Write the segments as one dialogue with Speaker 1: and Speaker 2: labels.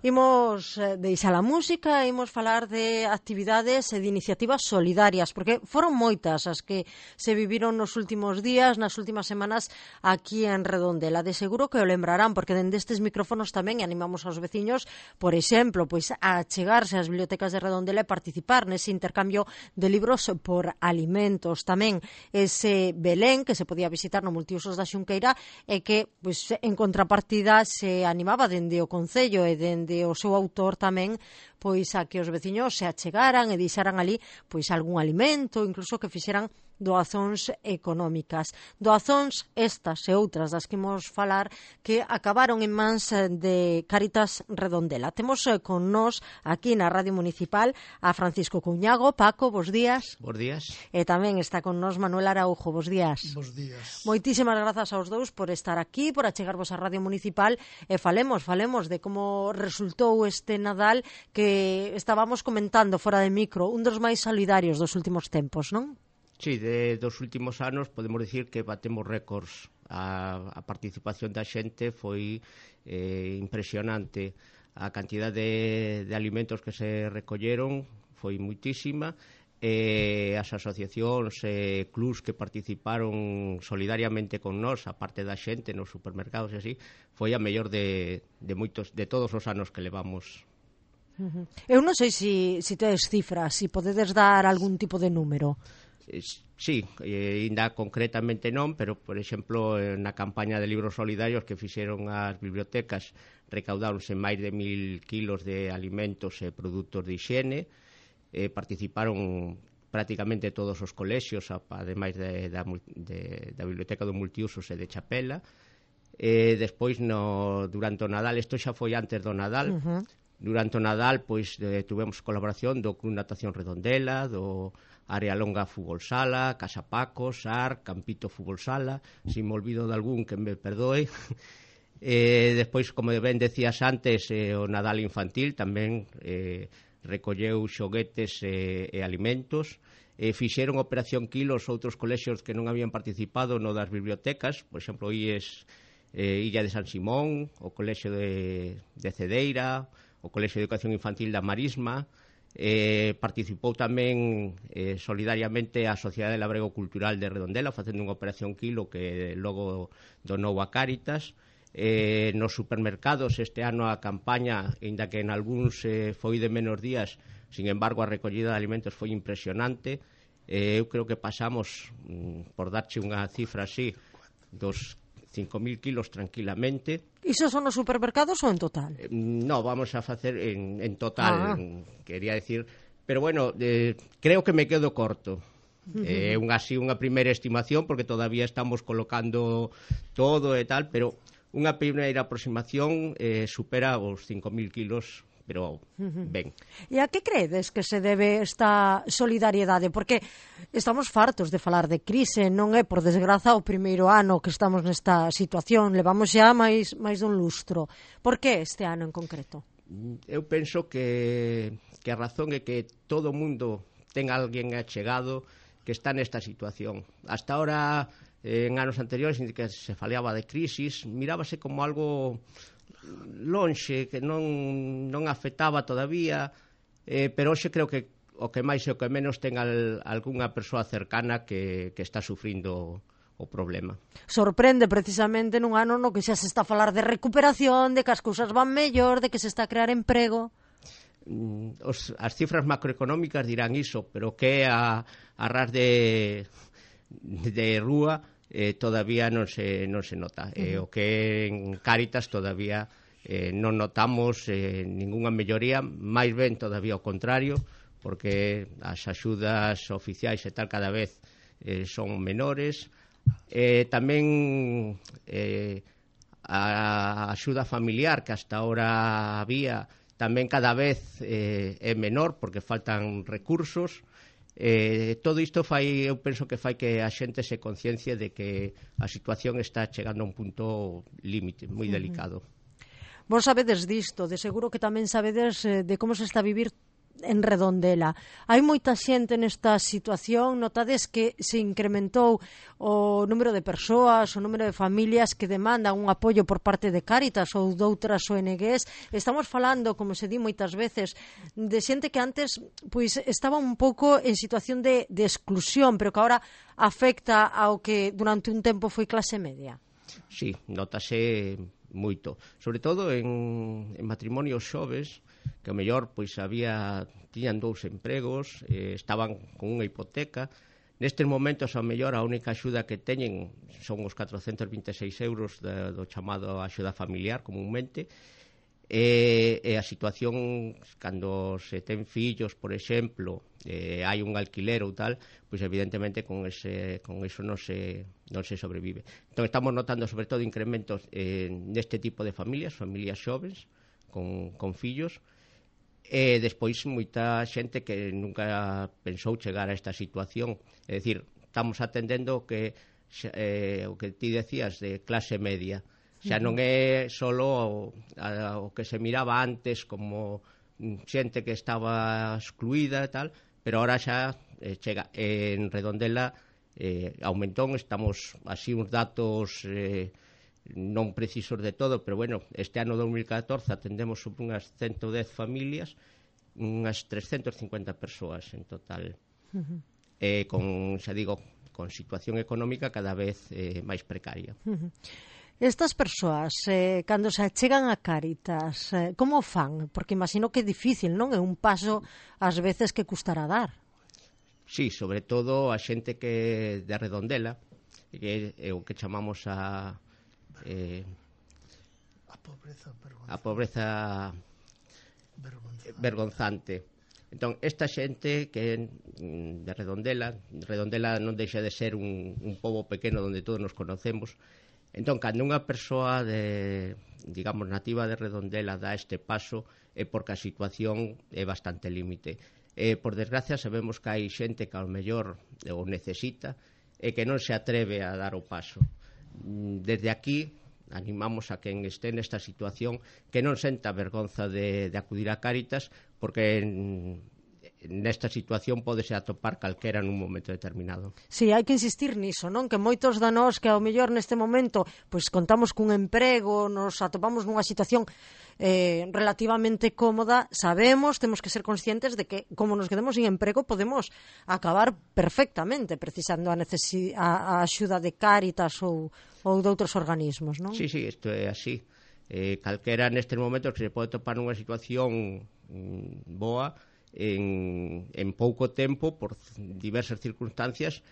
Speaker 1: Imos deixar a música, imos falar de actividades e de iniciativas solidarias, porque foron moitas as que se viviron nos últimos días, nas últimas semanas aquí en Redondela. De seguro que o lembrarán, porque dende estes micrófonos tamén animamos aos veciños, por exemplo, pois a chegarse ás bibliotecas de Redondela e participar nese intercambio de libros por alimentos. Tamén ese Belén que se podía visitar no Multiusos da Xunqueira e que, pois, en contrapartida se animaba dende o Concello e dende o seu autor tamén pois a que os veciños se achegaran e deixaran ali pois algún alimento, incluso que fixeran doazóns económicas. Doazóns estas e outras das que imos falar que acabaron en mans de Cáritas Redondela. Temos con nós aquí na Radio Municipal a Francisco Cuñago. Paco, bos días.
Speaker 2: Bos días.
Speaker 1: E tamén está con nós Manuel Araujo. Bos días.
Speaker 3: Bos días.
Speaker 1: Moitísimas grazas aos dous por estar aquí, por achegarvos á Radio Municipal e falemos de como resultou este Nadal que estábamos comentando fora de micro, un dos máis solidarios dos últimos tempos, non?
Speaker 2: Sí, dos últimos anos podemos dicir que batemos récords. A participación da xente foi impresionante. A cantidad de alimentos que se recolleron foi moitísima. As asociacións e clubs que participaron solidariamente con nós, a parte da xente nos supermercados e así, foi a mellor de todos os anos que levamos.
Speaker 1: Eu non sei se tedes cifras, se podedes dar algún tipo de número.
Speaker 2: Sí, ainda concretamente non, pero, por exemplo, na campaña de libros solidarios que fixeron as bibliotecas, recaudáronse máis de 1000 kilos de alimentos e produtos de higiene. Participaron prácticamente todos os colexios, ademais da Biblioteca do Multiusos e de Chapela. Despois, durante o Nadal, isto xa foi antes do Nadal, durante o Nadal pois tuvemos colaboración do Club Natación Redondela, do Área Longa Fútbol Sala, Casa Paco, SAR, Campito Fútbol Sala, se me olvido de algún que me perdoe. Despois, como ben decías antes, o Nadal infantil tamén recolleu xoguetes e alimentos. Fixeron Operación Kilos outros colexios que non habían participado no das bibliotecas, por exemplo, Illa de San Simón, o Colexio de Cedeira, o Colexio de Educación Infantil da Marisma. Participou tamén solidariamente a Sociedade Labrego Cultural de Redondela facendo unha Operación Kilo que logo donou a Cáritas. Nos supermercados este ano a campaña, aínda que en algúns foi de menos días, sin embargo a recollida de alimentos foi impresionante. Eu creo que pasamos, por darche unha cifra así, dos 5.000 kilos tranquilamente.
Speaker 1: Iso son nos supermercados ou en total?
Speaker 2: No, vamos a facer en total, quería decir, pero bueno, creo que me quedo corto. Unha primeira estimación, porque todavía estamos colocando todo e tal, pero unha primeira aproximación supera os 5.000 kilos, pero ben.
Speaker 1: E a que credes que se debe esta solidariedade? Porque estamos fartos de falar de crise, non é, por desgraza, o primeiro ano que estamos nesta situación, levamos xa máis dun lustro. Por que este ano en concreto?
Speaker 2: Eu penso que a razón é que todo o mundo ten alguén achegado que está nesta situación. Hasta ahora, en anos anteriores, en que se falaba de crisis, mirábase como algo lonxe, que non afectaba todavía, pero hoxe creo que o que máis e o que menos ten algunha persoa cercana que está sufrindo o problema.
Speaker 1: Sorprende precisamente nun ano no que xa se está a falar de recuperación, de que as cousas van mellor, de que se está a crear emprego.
Speaker 2: As cifras macroeconómicas dirán iso, pero que a ras de rúa todavía non se nota. O que en Cáritas todavía non notamos ningunha melloría, máis ben todavía ao contrario, porque as axudas oficiais e tal cada vez son menores. Tamén a axuda familiar que hasta ahora había tamén cada vez é menor porque faltan recursos. Todo isto eu penso que fai que a xente se conciencie de que a situación está chegando a un punto límite, moi delicado.
Speaker 1: Vos sabedes disto, de seguro que tamén sabedes de como se está a vivir en Redondela. Hai moita xente nesta situación, notades que se incrementou o número de persoas, o número de familias que demandan un apoio por parte de Cáritas ou doutras ONGs. Estamos falando, como se di moitas veces, de xente que antes pois estaba un pouco en situación de exclusión, pero que agora afecta ao que durante un tempo foi clase media.
Speaker 2: Sí, notase moito, sobre todo en matrimonios xoves, que ao mellor pois tiñan 2 empregos, estaban con unha hipoteca. Nestes momentos, ao mellor, a única axuda que teñen son os 426 euros do chamado axuda familiar, comúnmente, e a situación, cando se ten fillos, por exemplo, hai un alquiler ou tal, pois evidentemente con iso non se sobrevive. Entón estamos notando sobre todo incrementos neste tipo de familias xoves, con fillos, e despois moita xente que nunca pensou chegar a esta situación. É dicir, estamos atendendo o que ti decías de clase media. Xa non é solo o que se miraba antes como xente que estaba excluída e tal, pero ahora xa chega. En Redondela aumentou, estamos así uns datos non precisos de todo, pero bueno, este ano 2014 atendemos sobre unhas 110 familias, unhas 350 persoas en total, con situación económica cada vez máis precaria.
Speaker 1: Estas persoas, cando se achegan a Cáritas, como fan? Porque imagino que é difícil, non? É un paso, ás veces, que custará dar.
Speaker 2: Sí, sobre todo a xente que de Redondela, que é o que chamamos a pobreza vergonzante. Entón, esta xente que de Redondela non deixa de ser un pobo pequeno onde todos nos conocemos. Entón, cando unha persoa digamos, nativa de Redondela dá este paso, é porque a situación é bastante límite. Por desgracia, sabemos que hai xente que ao mellor o necesita e que non se atreve a dar o paso. Desde aquí animamos a quen este nesta situación que non senta vergonza de acudir a Cáritas, porque nesta situación pódese atopar calquera nun momento determinado.
Speaker 1: Si, hai que insistir niso, non? Que moitos da nós que ao mellor neste momento pois contamos cun emprego, nos atopamos nunha situación relativamente cómoda, sabemos, temos que ser conscientes de que como nos quedemos sin emprego podemos acabar perfectamente precisando a axuda de Cáritas ou de outros organismos, non?
Speaker 2: Sí, isto é así. Calquera nestes momentos que se pode topar nunha situación boa, en pouco tempo, por diversas circunstancias,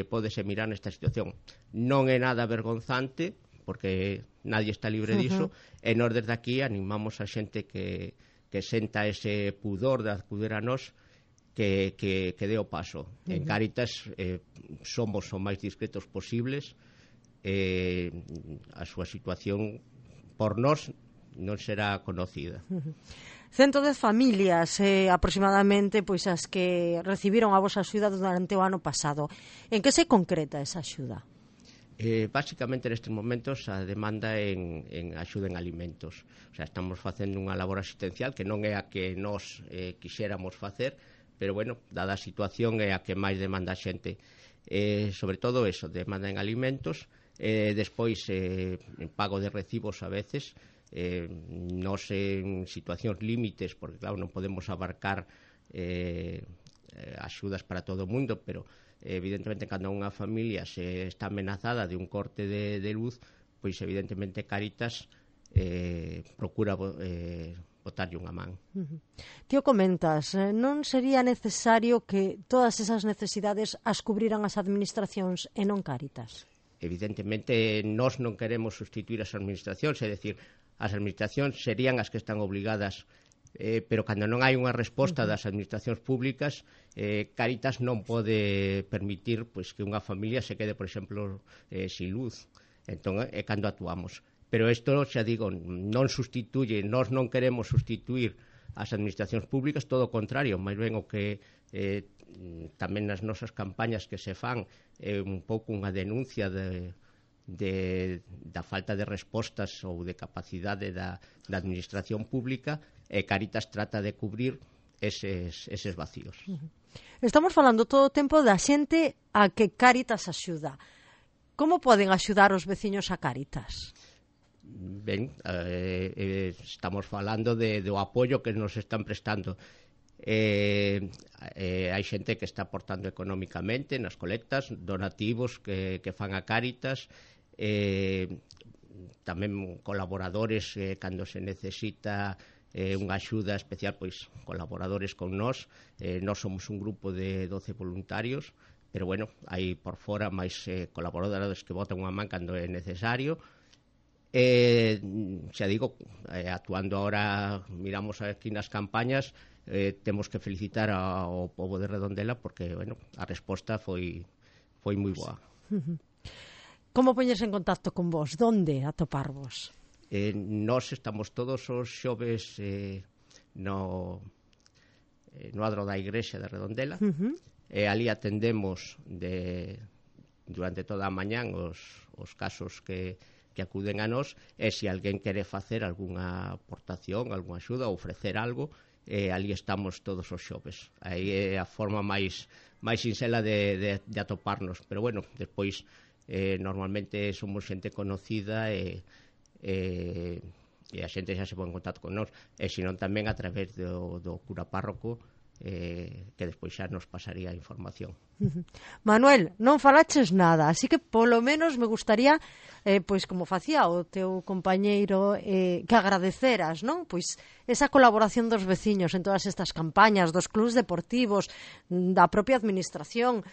Speaker 2: pódese mirar nesta situación. Non é nada vergonzante, porque nadie está libre diso, e nós desde aquí animamos a xente que senta ese pudor de acudir a nós, que dé o paso. En Cáritas somos o máis discretos posibles, a súa situación por nós non será conocida.
Speaker 1: 110 familias aproximadamente pois as que recibiron a vosa axuda durante o ano pasado. En que se concreta esa axuda?
Speaker 2: Básicamente nestes momentos a demanda en axuda en alimentos. O sea, estamos facendo unha labor asistencial que non é a que nós quixéramos facer, pero bueno, dada a situación é a que máis demanda a xente. Sobre todo eso, demanda en alimentos, despois en pago de recibos a veces, nos en situacións límites, porque claro, non podemos abarcar axudas para todo o mundo, pero evidentemente cando unha familia se está amenazada de un corte de luz, pois evidentemente Cáritas procura botarlle unha man.
Speaker 1: Ti o comentas, non sería necesario que todas esas necesidades as cubriran as administracións e non Cáritas?
Speaker 2: Evidentemente, nós non queremos sustituir as administracións, é dicir, as administracións serían as que están obligadas, pero cando non hai unha resposta das administracións públicas, Cáritas non pode permitir pois, que unha familia se quede, por exemplo, sin luz. Entón, é cando actuamos. Pero isto, xa digo, non sustituye, nós non queremos sustituir as administracións públicas, todo o contrario, máis ben o que tamén nas nosas campañas que se fan é un pouco unha denuncia da falta de respostas ou de capacidade da administración pública, e Cáritas trata de cubrir eses vacíos.
Speaker 1: Estamos falando todo o tempo da xente a que Cáritas axuda. Como poden axudar os veciños a Cáritas?
Speaker 2: Ben, estamos falando do apoio que nos están prestando. Hai xente que está aportando económicamente nas colectas, donativos que fan a Cáritas, tamén colaboradores cando se necesita unha axuda especial, pois colaboradores con nós. Nós somos un grupo de 12 voluntarios, pero bueno, hai por fora máis colaboradores que botan unha man cando é necesario. Xa digo, actuando ahora, miramos aquí nas campañas, temos que felicitar ao pobo de Redondela porque, bueno, a resposta foi moi boa.
Speaker 1: Como poñes en contacto con vos? Donde atoparvos?
Speaker 2: Nós estamos todos os xoves no adro da igrexa de Redondela. Ali atendemos durante toda a mañán os casos que acuden a nós, e se alguén quere facer algunha aportación, algunha axuda, ofrecer algo, ali estamos todos os xoves. Aí é a forma máis sinxela de atoparnos, pero bueno, despois normalmente somos xente conocida e a xente xa se pon en contacto con nós, e senón tamén a través do cura párroco, que despois xa nos pasaría a información.
Speaker 1: Manuel, non falaches nada, así que polo menos me gustaría, pois como facía o teu compañeiro, que agradeceras, non? Pois esa colaboración dos veciños en todas estas campañas, dos clubs deportivos, da propia administración.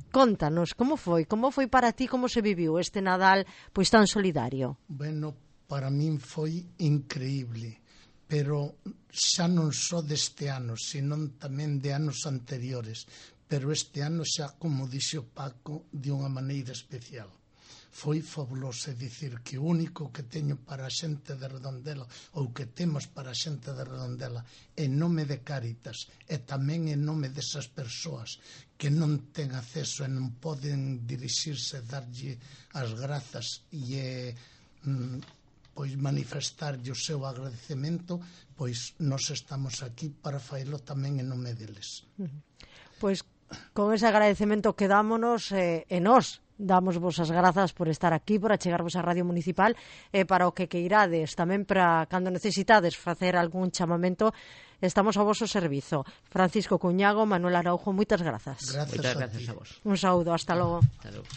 Speaker 1: Contanos, como foi para ti, como se viviu este Nadal pois tan solidario?
Speaker 3: Bueno, para min foi increíble, pero xa non só deste ano, senón tamén de anos anteriores, pero este ano xa, como dixo Paco, de unha maneira especial. Foi fabuloso, é dicir, que o único que teño para a xente de Redondela, ou que temos para a xente de Redondela, en nome de Cáritas, e tamén en nome desas persoas que non ten acceso e non poden dirixirse, darlle as grazas e pois manifestarlle o seu agradecemento, pois nós estamos aquí para faelo tamén en nome deles.
Speaker 1: Pois con ese agradecemento quedámonos e nós damos vos as grazas por estar aquí, por achegarvos á Radio Municipal, e para o que queirades, tamén para cando necesitades facer algún chamamento, estamos ao vosso servizo. Francisco Cuñago, Manuel Araujo, moitas grazas.
Speaker 2: Moitas grazas a vos.
Speaker 1: Un saúdo, hasta logo.
Speaker 2: Hasta logo.